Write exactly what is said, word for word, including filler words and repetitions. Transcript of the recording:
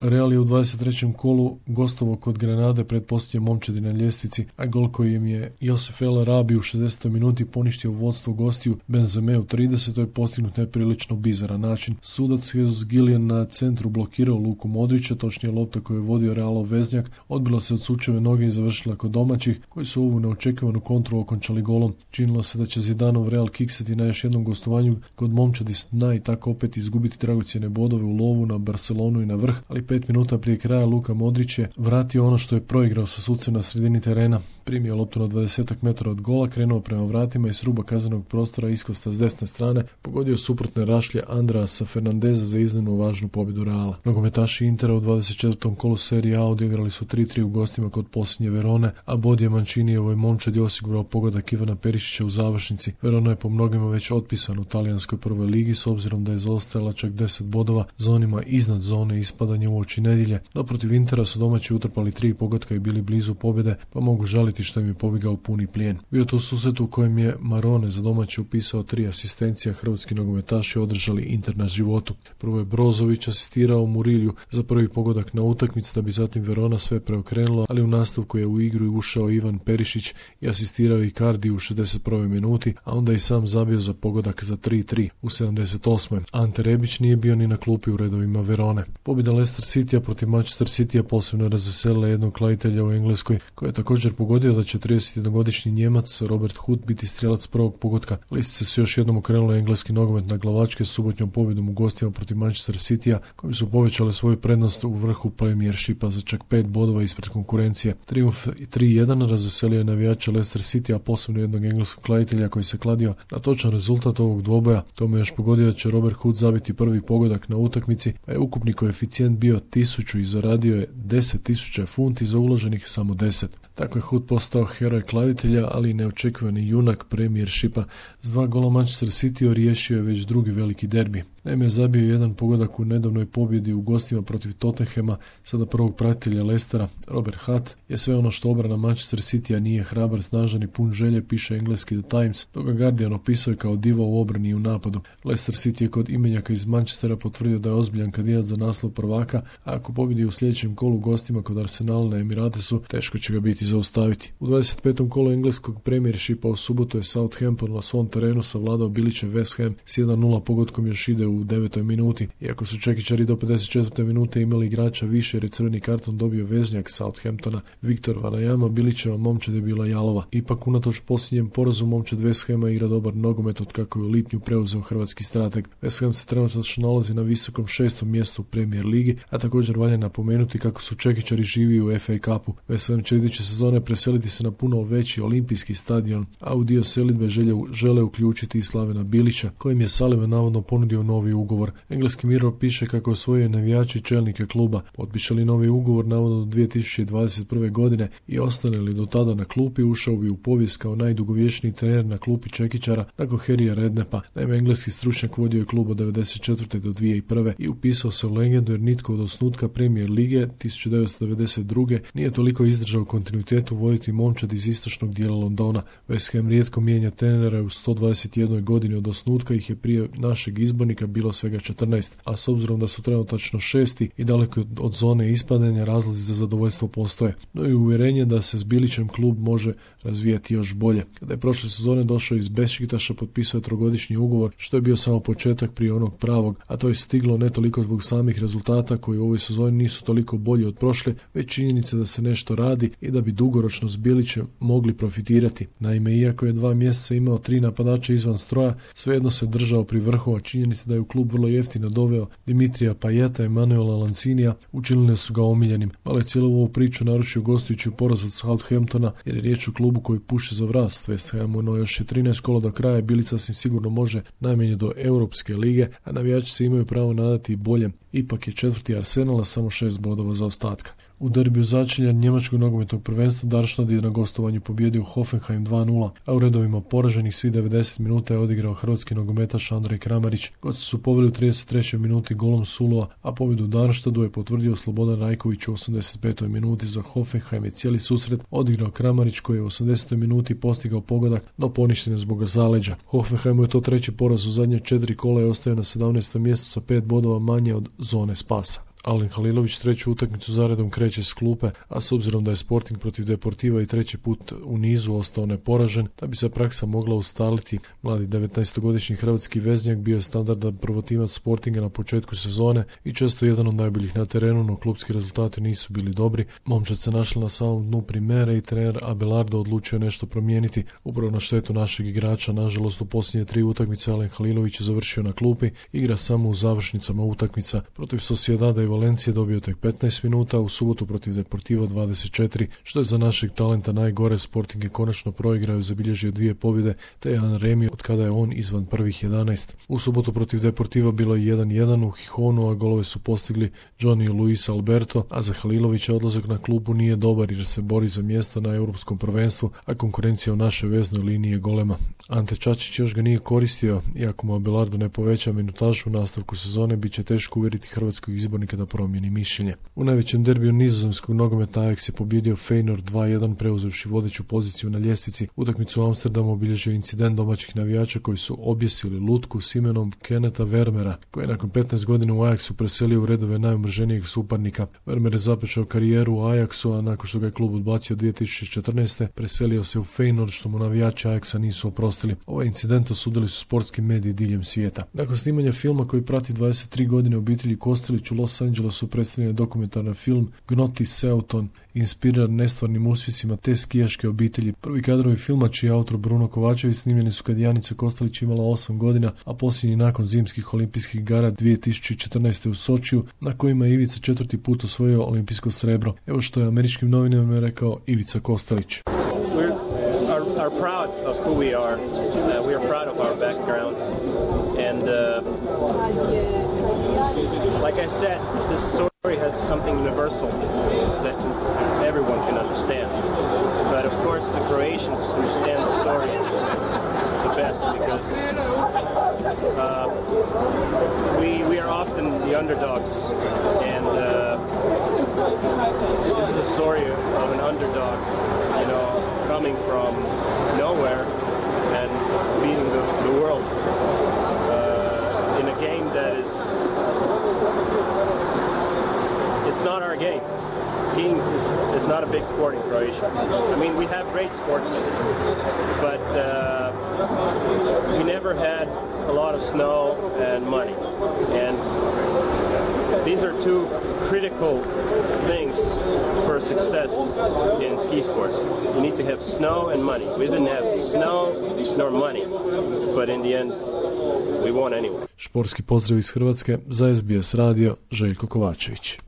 Real je u dvadeset trećem kolu gostovao kod Granade pred posljednje momčadi na ljestvici, a gol koji im je Josef El Arabi u šezdesetoj minuti poništio vodstvo gostiju Benzeme u tridesetoj postignut neprilično bizaran način. Sudac Jesus Gillian na centru blokirao Luku Modrića, točnije lopta koju je vodio Realov veznjak, odbila se od Sučeve noge i završila kod domaćih, koji su ovu neočekivanu kontru okončali golom. Činilo se da će Zidanov Real kiksati na još jednom gostovanju kod momčadi s dna i tako opet izgubiti dragocjene bodove u lovu na Barcelonu i na vrh, ali pet minuta prije kraja Luka Modrić je vratio ono što je proigrao sa sucem na sredini terena. Primio loptu na dvadesetak metara od gola, krenuo prema vratima i s ruba kaznenog prostora iskosta s desne strane pogodio suprotne rašlje Andreasa Fernandeza za iznimno važnu pobjedu Reala. Nogometaši Intera u dvadeset četvrtom kolu Serie A odigrali su tri tri u gostima kod posljednje Verone, a Bodje Mancinijevo momčadi osigurao pogodak Ivana Perišića u završnici. Verona je po mnogima već otpisan u talijanskoj prvoj ligi s obzirom da je zaostajala čak deset bodova za onima iznad zone ispadanja u oči nedjelje. No protiv Intera su domaći utrpali tri pogotka i bili blizu pobjede, pa mogu žaliti što im je pobjegao puni plijen. Bio to susret u kojem je Marone za domaći upisao tri asistencija, hrvatski nogometaši održali Inter na životu. Prvo je Brozović asistirao Murilju za prvi pogodak na utakmici, da bi zatim Verona sve preokrenula, ali u nastavku je u igru ušao Ivan Perišić i asistirao Icardi u šezdeset prvoj minuti, a onda i sam zabio za pogodak za tri tri u sedamdeset osmoj Ante Rebić nije bio ni na klupi u redovima Verone. Pobjeda Leicester Citya protiv Manchester Citya posebno razveselila jednog kladitelja u Engleskoj, koji je također pogodio da će tridesetjednogodišnji Njemac Robert Huth biti strijelac prvog pogotka. Listice su još jednom okrenule engleski nogomet na glavačke subotnjom pobjedom u gostima protiv Manchester Cityja, kojim su povećale svoju prednost u vrhu Premiershipa za čak pet bodova ispred konkurencije. Triumf tri jedan razveselio je navijača Leicester Citya, a posebno jednog engleskog kladitelja koji se kladio na točan rezultat ovog dvoboja. Tome još pogodio da će Robert Huth zabiti prvi pogodak na utakmici, pa je ukupni koeficijent bio tisuću i zaradio je deset tisuća funti za uloženih samo deset. Tako je Huth postao heroj kladitelja, ali i neočekivani junak Premiershipa. S dva gola Manchester City riješio je već drugi veliki derbi. Naime, zabio jedan pogodak u nedavnoj pobjedi u gostima protiv Tottenhama, sada prvog pratitelja Leicestera. Robert Huth je sve ono što obrana Manchester Citya nije, hrabar, snažan i pun želje, piše engleski The Times, dok ga Guardian opisuje kao diva u obrani i u napadu. Leicester City je kod imenjaka iz Manchestera potvrdio da je ozbiljan kandidat za naslov prvaka, a ako pobjedi u sljedećem kolu gostima kod Arsenala na Emiratesu, teško će ga biti zaustaviti. U dvadeset petom kolu engleskog Premiershipa u subotu je Southampton na svom terenu savladao Bilićev West Ham s jedan nula pogodkom još ide u devetoj minuti. Iako su čekičari do pedeset četvrte minute imali igrača više jer je crveni karton dobio veznjak Southamptona Viktor Vanajama, Bilićeva momčad je bila jalova. Ipak unatoč posljednjem porazu momčad West Hama igra dobar nogomet od kako je u lipnju preuzeo hrvatski strateg. West Ham se trenutno nalazi na visokom šestom mjestu u Premier ligi, a također valja napomenuti kako su čekičari živi u F A Cupu. West Ham će iduće sezone preseliti se na puno veći olimpijski stadion, a u dio selidbe žele, žele uključiti i Slavena Bilića, kojim je Sullivan navodno ponudio novi ugovor. Engleski Mirror piše kako osvojio navijači čelnike kluba. Potpiše li novi ugovor navodno do dvije tisuće dvadeset prve godine i ostane li do tada na klupi, ušao bi u povijest kao najdugovječniji trener na klupi čekičara nakon Harryja Redknappa. Naime, engleski stručnjak vodio je klub od devedeset četvrte do dvije tisuće prve i upisao se u legendu jer nitko od osnutka Premier lige tisuću devetsto devedeset druge nije toliko izdržao kontinuitetu voditi momčad iz istočnog dijela Londona. West Ham rijetko mijenja trenera, u sto dvadeset jednoj godini od osnutka ih je prije našeg izbornika bilo svega četrnaest, a s obzirom da su trenutačno šesti i daleko od zone ispadanja, razlozi za zadovoljstvo postoje. No i uvjerenje da se s Bilićem klub može razvijati još bolje. Kada je prošle sezone došao iz Bešiktaša, potpisao je trogodišnji ugovor, što je bio samo početak prije onog pravog, a to je stiglo ne toliko zbog samih rezultata koji u ovoj sezoni nisu toliko bolji od prošle, već činjenica da se nešto radi i da bi dugoročno s Bilićem mogli profitirati. Naime, iako je dva mjeseca imao tri napadača izvan stroja, svejedno se držao pri vrhu, a činjenica da je u klub vrlo jeftino doveo Dimitrija Pajeta i Manuela Lancinija učinile su ga omiljenim. Malo je cijelu ovu priču naručio gostujući poraz od Southamptona, jer je riječ o klubu koji puše za vrast West Hamu, no još je trinaest kola do kraja, Bilić sasvim sigurno može najmanje do Europske lige, a navijači se imaju pravo nadati i boljem. Ipak je četvrti Arsenal, samo šest bodova za ostatka. U derbiju začelja njemačkog nogometnog prvenstva Darmstadt je na gostovanju pobjedio Hoffenheim dva nula, a u redovima poraženih svih devedeset minuta je odigrao hrvatski nogometaš Andrej Kramarić. Gosti su poveli u trideset trećoj minuti golom Sulova, a pobjedu u Darmstadtu je potvrdio Slobodan Rajković u osamdeset petoj minuti. Za Hoffenheim je cijeli susret odigrao Kramarić koji je u osamdesetoj minuti postigao pogodak, no poništen je zbog zaleđa. Hoffenheimu je to treći poraz u zadnje četiri kola i ostaje na sedamnaestom mjestu sa pet bodova manje od zone spasa. Alen Halilović treću utakmicu zaredom kreće s klupe, a s obzirom da je Sporting protiv Deportiva i treći put u nizu ostao neporažen, da bi se praksa mogla ustaliti. Mladi devetnaestogodišnji hrvatski veznjak bio je standardan prvotimac Sportinga na početku sezone i često jedan od najboljih na terenu, no klupski rezultati nisu bili dobri. Momčad se našla na samom dnu primere i trener Abelardo odlučio nešto promijeniti. Upravo na štetu našeg igrača, nažalost u posljednje tri utakmice Alen Halilović je završio na klupi, igra samo u završnicama utakmica. Protiv Sociedada i Valencije dobio tek petnaest minuta, u subotu protiv Deportiva dvadeset četiri, što je za našeg talenta najgore. Sporting je konačno proigrao i zabilježio dvije pobjede, te jedan remi od kada je on izvan prvih jedanaest. U subotu protiv Deportiva bilo je jedan jedan u Hihonu, a golove su postigli Johnny i Luis Alberto, a za Halilovića odlazak na klupu nije dobar jer se bori za mjesto na europskom prvenstvu, a konkurencija u našoj veznoj liniji je golema. Ante Čačić još ga nije koristio, iako mu Abelardo ne poveća minutažu u nastavku sezone, bit će teško uvjeriti hrvatskog izbornika da promijeni mišljenje. U najvećem derbiju nizozemskog nogometa Ajax je pobjedio Feyenoord dva jedan preuzevši vodeću poziciju na ljestvici. Utakmicu u Amsterdamu obilježio incident domaćih navijača koji su objesili lutku s imenom Keneta Vermeera, koji je nakon petnaest godina u Ajaxu preselio u redove najomrženijeg suparnika. Vermeer je započeo karijeru u Ajaxu, a nakon što ga je klub odbacio dvije tisuće četrnaeste. preselio se u Feyenoord, što mu navijači Ajaxa nisu oprostili. Ovaj incident osudili su sportski mediji diljem svijeta. Nakon snimanja filma koji prati dvadeset tri godine obitelji Kostelić u Los Angelesu predstavljen dokumentarni film Gnoti Seaton, inspiriran nestvarnim uspjesima te skijaške obitelji. Prvi kadrovi filma, čiji je autor Bruno Kovačević, snimljeni su kad Janica Kostelić imala osam godina, a posljednji nakon zimskih olimpijskih igara dvije tisuće četrnaeste u Sočiju, na kojima je Ivica četvrti put osvojio olimpijsko srebro. Evo što je američkim novinama rekao Ivica Kostelić. We're are, are proud of who we are. Uh, we are proud of our background. And uh, like I said, this story has something universal that everyone can understand. But of course, the Croatians understand the story the best because uh, we we are often the underdogs, and uh, this is a story of an underdog, you know, coming from nowhere and beating the, the world uh, in a game that is, it's not our game. Skiing is, is not a big sport in Croatia. I mean, we have great sportsmen, but uh, we never had a lot of snow and money. And these are two critical things for success in ski sport. You need to have snow and money. We didn't have snow nor money, but in the end, we won anyway. Športski pozdrav iz Hrvatske, za S B S radio, Željko Kovačević.